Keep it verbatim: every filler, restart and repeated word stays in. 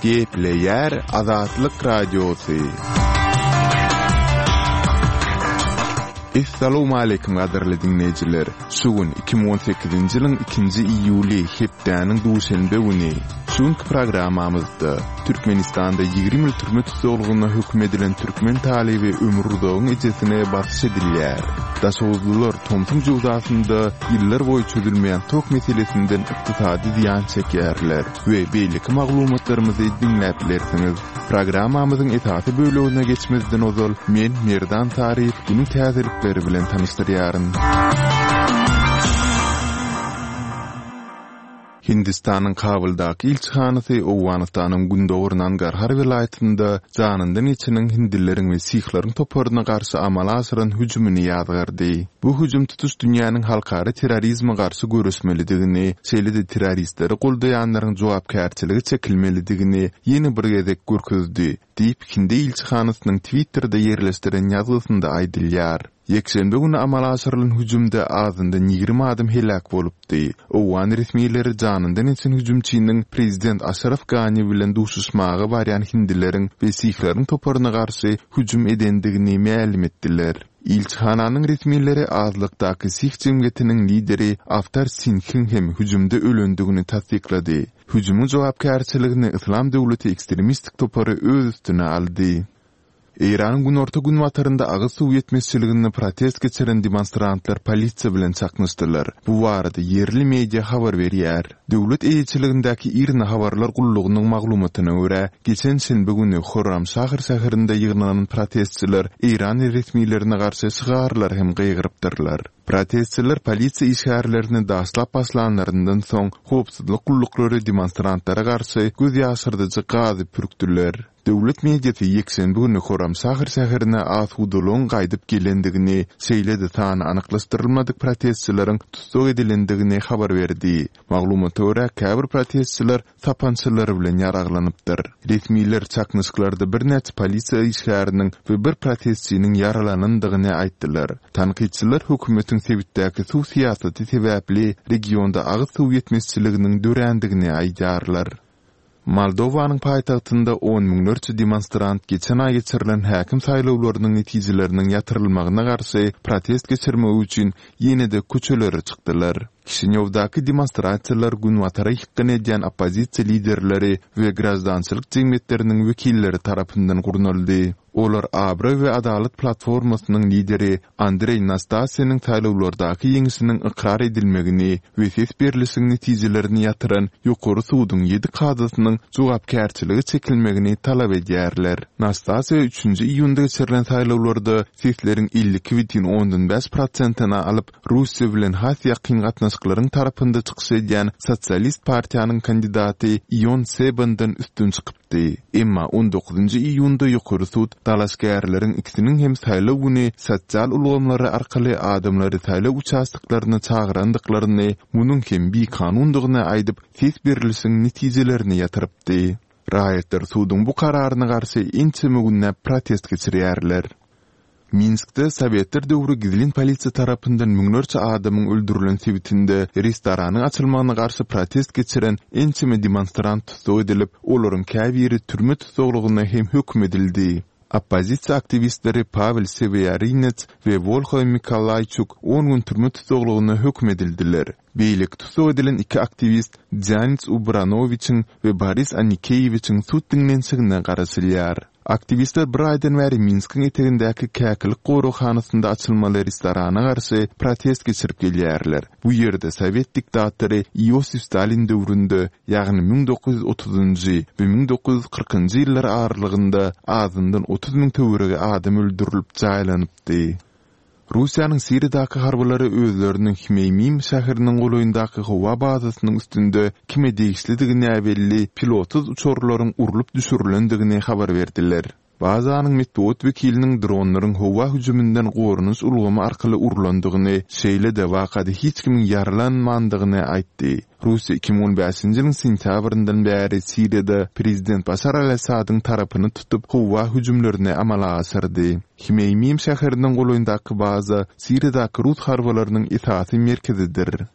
Gepleýär Azatlyk Radiosy. Essalawmaleýkim gadyrly diňleýjiler! Şu gün iki müň on sekizinji ýylyň ikinji iýuly, hepdäniň duşenbe güni. Şu günki programmamyzda Türkmenistanda ýigrimi ýyl türme tussaglygyna höküm edilen türkmen talyby Ömür Uzagyň ejesine basyş edilýär. Daşoguzlylar tomsuň jöwzasynda ýyllar boýy çözülmeýän tok meselesinden ykdysady zyýan çekýärler we beýleki maglumatlarymyzy diňläp bilersiňiz. Programmamyzyň esasy bölegine geçmezden ozal, men Merdan Saryýew günüň täzelikleri bilen tanyşdyrýaryn. Hindistanyň Kabuldaky ilçihanasy Owganystanyň gündogar Nangarhar welaýatynda janyndan geçeniň hindileriň we sihleriň toparyna garşy amala aşyran hüjümini ýazgardy. Bu hüjüm tutuş dünýäniň halkara terrorizme garşy göreşmelidigini, şeýle-de terroristleri goldaýanlaryň jogapkärçilige çekilmelidigini ýene bir gezek görkezdi, diýip, hindi ilçihanasynyň Twitterde ýerleşdiren ýazgysynda aýdylýar. Ýekşenbe güni amala aşyrylan hüjümde azyndan ýigrimi adam heläk bolupdy. Owgan resmileri janyndan geçen hüjümçiniň prezident Aşraf Gani bilen duşuşmaga barýan hindileriň we sihleriň toparyna garşy hüjüm edendigini mälim etdiler. Ilçihananyň resmileri azlykdaky sih jemgyýetiniň lideri Awtar Singhiň hem hüjümde ölendigini tassyklady. Hüjümiň jogapkärçiligini Yslam döwleti ekstremistik topary öz üstüne aldy. Eýranyň günorta-günbatarynda agyz suw ýetmezçiliginde protest geçiren demonstrantlar polisiýa bilen çaknyşdylar. Bu barada ýerli media habar berýär. Döwlet eýeçiligindäki IRNA habarlar gullugynyň maglumatyna görä, geçen şenbe güni Horramşahr şäherinde ýygnanan protestçiler Eýran resmilerine garşy şygarlar hem gygyrypdyrlar. Protestçiler polisiýa işgärlerini daşlap başlanlaryndan soň, howpsuzlyk gulluklary demonstrantlara garşy göz ýaşyrdyjy gazy pürkdüler. Döwlet mediasy ýekşenbe güni Horramşahr şäherine asudalygyň gaýdyp gelendigini, şeýle-de sany anyklaşdyrylmadyk protestçileriň tussag edilendigini habar berdi. Maglumata görä, käbir protestçiler sapançalary bilen ýaraglanypdyr. Resmiler çaknyşyklarda birnäçe polisiýa işgäriniň we bir protestçiniň ýaralanandygyny aýtdylar. Tankytçylar hökümetiň sebitdäki suw syýasaty sebäpli regionda agyz suw ýetmezçiliginiň dörändigini aýdýarlar. Moldowanyň paýtagtynda on müňlerçe demonstrant geçen aý geçirilen häkim saýlawlarynyň netijeleriniň ýatyrylmagyna garşy protest geçirmek üçin ýene-de köçelere çykdylar. Kişinýowdaky demonstrasiýalar günbatara ýykgyn edýän oppozisiýa liderleri we graždançylyk jemgyýetleriniň wekilleri tarapyndan gurnaldy. Olar Abraý we Adalat platformasynyň lideri Andreý Nastasiýanyň saýlawlardaky ýeňşiniň ykrar edilmegini we ses berlişiň netijelerini ýatyran Ýokary suduň ýedi kazysynyň jogapkärçilige çekilmegini talap edýärler. Nastasiýa üçünji iýunda geçirilen saýlawlarda sesleriň elli iki bütin ondan bäş prosentini alyp, Russiýa bilen has ýakyn gatnaşyklaryň tarapynda çykyş edýän Sosialist partiýanyň kandidaty Ion Sebandan üstün çykypdy. Emma on dokuzynjy iýunda Ýokary sud dalaşgärleriň ikisiniň hem saýlaw güni sosial ulgamlary arkaly adamlary saýlaw uçastoklaryna çagyrandyklaryny, munuň hem bikanundygyny aýdyp, ses berlişiň netijelerini ýatyrypdy. Raýatlar suduň bu kararyna garşy ençeme günläp protest geçirýärler. Minskde Sowetler döwri gizlin polisiýa tarapyndan müňlerçe adamyň öldürilen sebitinde restoranyň açylmagyna garşy protest geçiren ençeme demonstrant tussag edilip, olaryň käbiri türme tussaglygyna hem höküm edildi. Oppozisiýa aktiwistleri Pawel Sewýarinets we Wolha Mikolaýçuk on gün türme tussaglygyna höküm edildiler. Beýleki tussag edilen iki aktiwist Dzýanis Ubranowiçiň we Boris Anikeýewiçiň sud diňlenişigine garaşylýar. Aktiwistler bir aýdan bäri Minskiň etegindäki Käkilik goraghanasynda açylmaly restorana garşy protest geçirip gelýärler. Bu ýerde sowet diktatory Iosif Stalin döwründe, ýagny müň dokuz ýüz otuzynjy we müň dokuz ýüz kyrkynjy ýyllar aralygynda azyndan otuz müň töweregi adam öldürilip jaýlanypdy. Russiýanyň Siriýadaky harbylary özleriniň Hmeýmim şäheriniň golaýyndaky howa bazasynyň üstünde kime degişlidigi näbelli pilotsyz uçarlaryň urlup düşürilendigini habar berdiler. Bazanyň metbugat wekiliniň dronlaryň howa hüjüminden goranyş ulgamy arkaly urlandygyny, şeýle-de wakada hiç kimiň ýaralanmandygyny aýtdy. Russiýa iki müň on bäşinji ýylyň sentýabryndan bäri Siriýada prezident Başar al-Assadyň tarapyny tutup, howa hüjümlerini amala aşyrdy. Hmeýmim şäheriniň golaýyndaky baza Siriýadaky rus harbylarynyň esasy merkezidir.